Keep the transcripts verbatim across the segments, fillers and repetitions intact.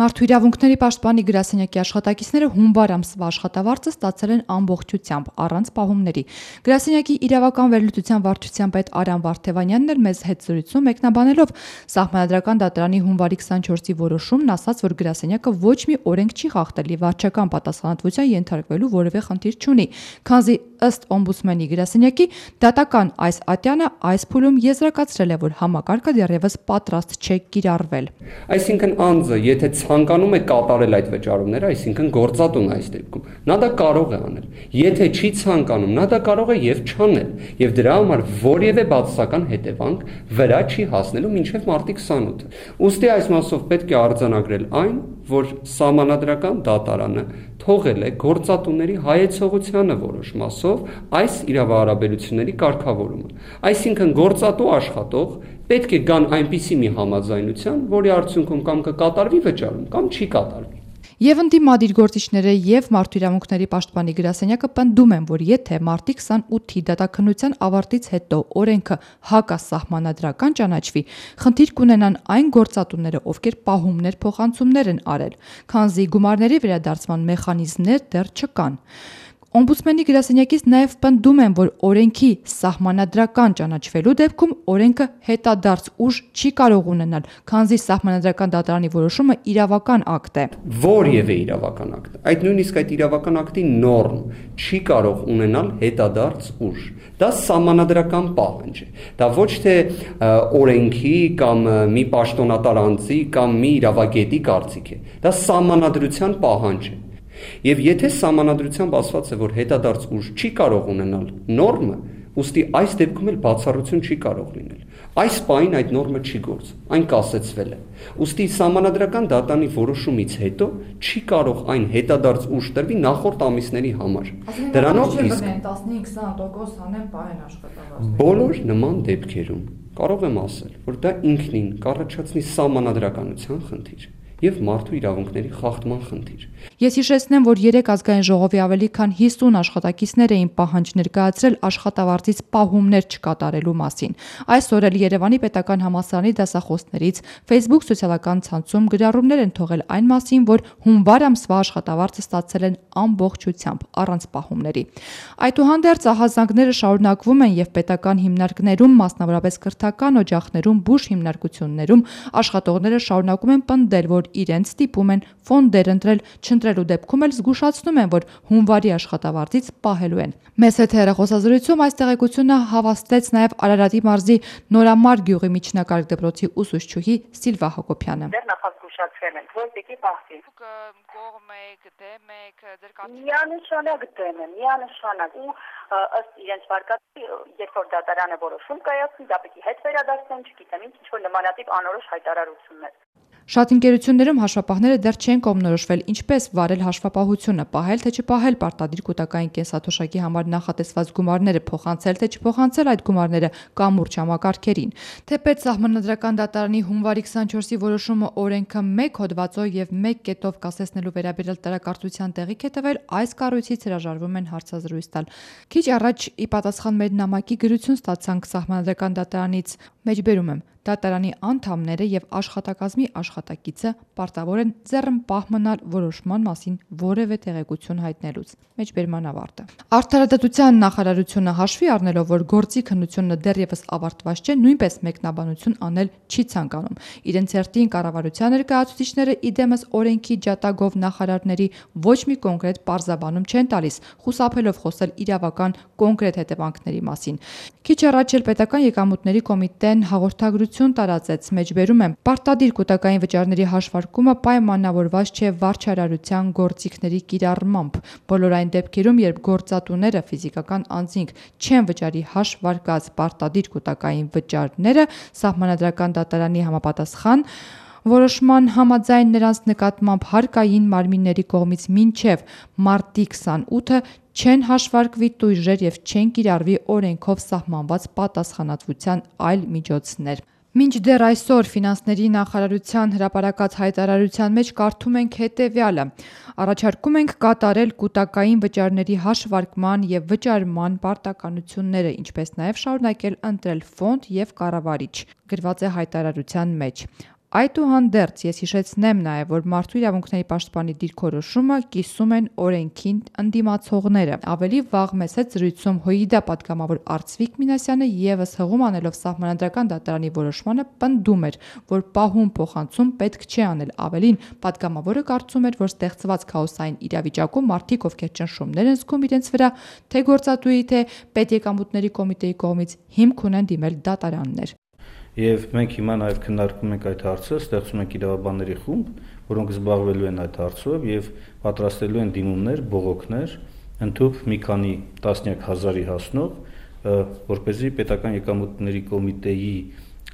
Մարդու իրավունքների պաշտպանի գրասենյակի աշխատակիցները հունվար ամսվա աշխատավարձը ստացել են ամբողջությամբ, առանց պահումների։ Գրասենյակի իրավական վերլուծության վարչության պետ Արամ Վարդևանյանն էլ մեզ հետ զրույցում մեկնաբանելով Սահմանադրական դատարանի հունվարի քսանչորսի որոշումն ասաց, որ գրասենյակը ոչ մի օրենք չի խախտել և վարչական պատասխանատվության ենթարկվելու որևէ խնդիր չունի, քանզի ըստ օմբուդսմենի գրասենյակի դատական այս ատյանը այս փուլում եզրակացրել է, որ համակարգը դեռևս պատրաստ չէ կիրառվել։ Այսինքն անձը, եթե ցանկանում է կատարել այդ վճարումները, այսինքն գործատուն այս դեպքում, նա դա կարող է անել։ Եթե չի ցանկանում, նա դա կարող է եւ չանել, եւ դրա համար որևէ բացասական հետևանք վրա չի հասնելու մինչեւ մարտի քսանութը։ Ուստի այս մասով պետք է արձանագրել այն, որ Սահմանադրական դատարանը թողել է գործատուների հայեցողությանը որոշ մասով այս իրավահարաբերությունների կարգավորումը։ Այսինքն գործատու աշխատող պետք է գան այնպիսի մի համաձայնության, որի արդյունքում կամ կկատարվի վճարում, կամ չի կատարվի։ Եվ ընդդիմադիր գործիչները եւ Մարդու իրավունքների պաշտպանի գրասենյակը պնդում են, որ եթե մարտի քսանութի դատաքննության ավարտից հետո օրենքը հակասահմանադրական ճանաչվի, խնդիր կունենան այն գործատուները, ովքեր պահումներ փոխանցումներ են արել, քանզի գումարների վերադարձման մեխանիզմներ դեռ չկան։ Օմբուդսմենի գրասենյակից նաև պնդում են, որ օրենքի սահմանադրական ճանաչվելու դեպքում օրենքը հետադարձ ուժ չի կարող ունենալ, քանզի Սահմանադրական դատարանի որոշումը իրավական ակտ է։ Որևէ իրավական ակտ, այդ նույնիսկ այդ իրավական ակտի նորմ չի կարող ունենալ հետադարձ ուժ։ Դա սահմանադրական պահանջ է։ Դա ոչ թե օրենքի կամ մի պաշտոնատար անձի կամ մի իրավագետի կարծիք է։ Դա սահմանադրության պահանջ է։ Եվ եթե սահմանադրությամբ ասված է, որ հետադարձ ուժ չի կարող ունենալ նորմը, ուստի այս դեպքում էլ բացառություն չի կարող լինել։ Այս պահին այդ նորմը չի գործում, այն կասեցվել է։ Ուստի Սահմանադրական դատարանի որոշումից հետո չի կարող այն հետադարձ ուժ տրվի նախորդ ամիսների համար։ Դրանով իսկ տասնհինգ-քսան տոկոս հանեն պահեն աշխատավարձ։ Բոլոր նման դեպքերում կարող եմ ասել, որ դա ինքնին կառաջացնի սահմանադրականության խնդիր և մարդու իրավունքների խախտման խնդիր։ Ես հիշեցնեմ, որ երեկ ազգային ժողովի ավելի քան հիսուն աշխատակիցներ էին պահանջ ներկայացրել աշխատավարձից պահումներ չկատարելու մասին։ Այսօր էլ Երևանի պետական համալսարանի դասախոսներից Facebook սոցիալական ցանցում գրառումներ են թողել այն մասին, որ հունվար ամսվա աշխատավարձը ստացել են ամբողջությամբ, առանց պահումների։ Այդուհանդերձ ահազանգները շարունակվում են և պետական հիմնարկներում, մասնավորապես կրթական օջախներում, բուժ հիմնարկություններում աշխատողները շարունակում են պնդել, որ իրենց ստիպում են ֆոնդեր ընտրել, չընտրելու դեպքում էլ զգուշացնում են, որ հունվարի աշխատավարձից պահելու են։ Մեզ հետ հեռախոսազրույցում այս տեղեկությունը հավաստեց նաև Արարատի մարզի Նորամար գյուղի միջնակարգ դպրոցի ուսուցչուհի Սիլվա Հակոբյանը։ Դեռ նախազգուշացվել են, որ պիտի պահվի։ Կողմ եք, դեմ եք, ձեր կարծիքով։ Միանշանակ դեմ եմ, միանշանակ ու ըստ իրենց վարկածի, երբ որ դատարանը որոշում կայացնի, դա պիտի հետ վերադարձնեն, չգիտեմ ինչ, ինչ-որ նմանատիպ անորոշ հայտարարություններ։ Շատ ընկերություններում հաշվապահները դեռ չեն կողմնորոշվել ինչպես վարել հաշվապահությունը, պահել թե չպահել պարտադիր կൂട്ടակային կենսաթոշակի համար նախատեսված գումարները, փոխանցել թե չփոխանցել այդ գումարները կամուրջ համակարգերին։ Թեպետ Սահմանադրական դատարանի հունվարի քսանչորսի որոշումը օրենքը մեկ հոդվածով եւ մեկ կետով կասեցնելու վերաբերյալ տարակարծության տեղիք է տվել, այս կառույցից հրաժարվում են հարցազրույց տալ։ Քիչ առաջ ի պատասխան մեր նամակի գրություն ստացանք Սահմանադրական դատարանից, մեջբերում եմ, դատարանի անդամները եւ աշխատակազմի աշխատակիցը պարտավոր են ձեռն պահ մնալ որոշման մասին որևէ տեղեկություն հայտնելուց։ Մեջբերման ավարտը։ Արդարադատության նախարարությունը հաշվի առնելով, որ գործի քննությունը դեռևս ավարտված չէ, նույնպես մեկնաբանություն անել չի ցանկանում։ Իրենց հերթին կառավարության ներկայացուցիչները իդեմս օրենքի ջատագով նախարարների ոչ մի կոնկրետ պարզաբանում չեն տալիս, խուսափելով խոսել իրավական կոնկրետ հետևանքների մասին։ Քիչ առաջ էլ պետական եկամուտների կոմիտեն հաղորդագրություն տարածեց, մեջբերում եմ, պարտադիր կൂട്ടակային վճարների հաշվարկումը պայմանավորված չէ վարչարարության գործիքների կիրառմամբ։ Բոլոր այն դեպքերում, երբ գործատուները ֆիզիկական անձինք չեն վճարի հաշվարկած պարտադիր կൂട്ടակային վճարները, Սահմանադրական դատարանի համապատասխան որոշման համաձայն նրանց նկատմամբ հարկային մարմինների կողմից մինչև մարտի քսանութը չեն հաշվարկվի տույժեր և չեն կիրառվի օրենքով սահմանված պատասխանատվության այլ միջոցներ։ Մինչդեռ այսօր ֆինանսների նախարարության հրապարակած հայտարարության մեջ կարդում ենք հետևյալը. առաջարկում ենք կատարել կൂട്ടակային վճարների հաշվարկման և վճարման պարտականությունները, ինչպես նաև շարունակել ընտրել ֆոնդ և կառավարիչ, գրված է հայտարարության մեջ։ Այդուհանդերձ ես հիշեցնեմ նաև, որ մարդու իրավունքների պաշտպանի դիրքորոշումը կիսում են օրենքին ընդդիմացողները։ Ավելի վաղ մեծ հետ զրույցում ՀՅԴ պատգամավոր Արծվիկ Մինասյանը եւս հղում անելով Սահմանադրական դատարանի որոշմանը պնդում էր, որ պահում փոխանցում պետք չէ անել։ Ավելին, պատգամավորը կարծում էր, որ ստեղծված քաոսային իրավիճակում մարդիկ, ովքեր ճնշումներ են զգում իրենց վրա, թե գործատուի, թե պետեկամուտների կոմիտեի կողմից հիմք ունեն դիմել դատարաններ։ Եվ մենք հիմա նաև քննարկում ենք այդ հարցը, ստեղծում ենք իրավաբանների խումբ, որոնք զբաղվելու են այդ հարցով եւ պատրաստելու են դիմումներ, բողոքներ, ընդհանուր մի քանի տասնյակ հազարի հասնող, որպեսզի պետական եկամուտների կոմիտեի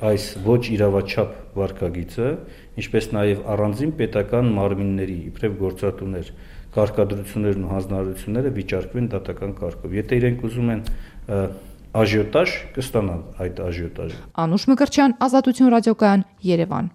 այս ոչ իրավաչափ վարքագիծը, ինչպես նաև առանձին պետական մարմինների, իբրև գործատուներ, կարգադրություններն ու հանձնարարությունները վիճարկվեն դատական կարգով։ Եթե իրենք ուզում են աժիոտաժ, կստանան այդ աժիոտաժը։ Անուշ Մկրտչյան, Ազատություն ռադիոկայան, Երևան։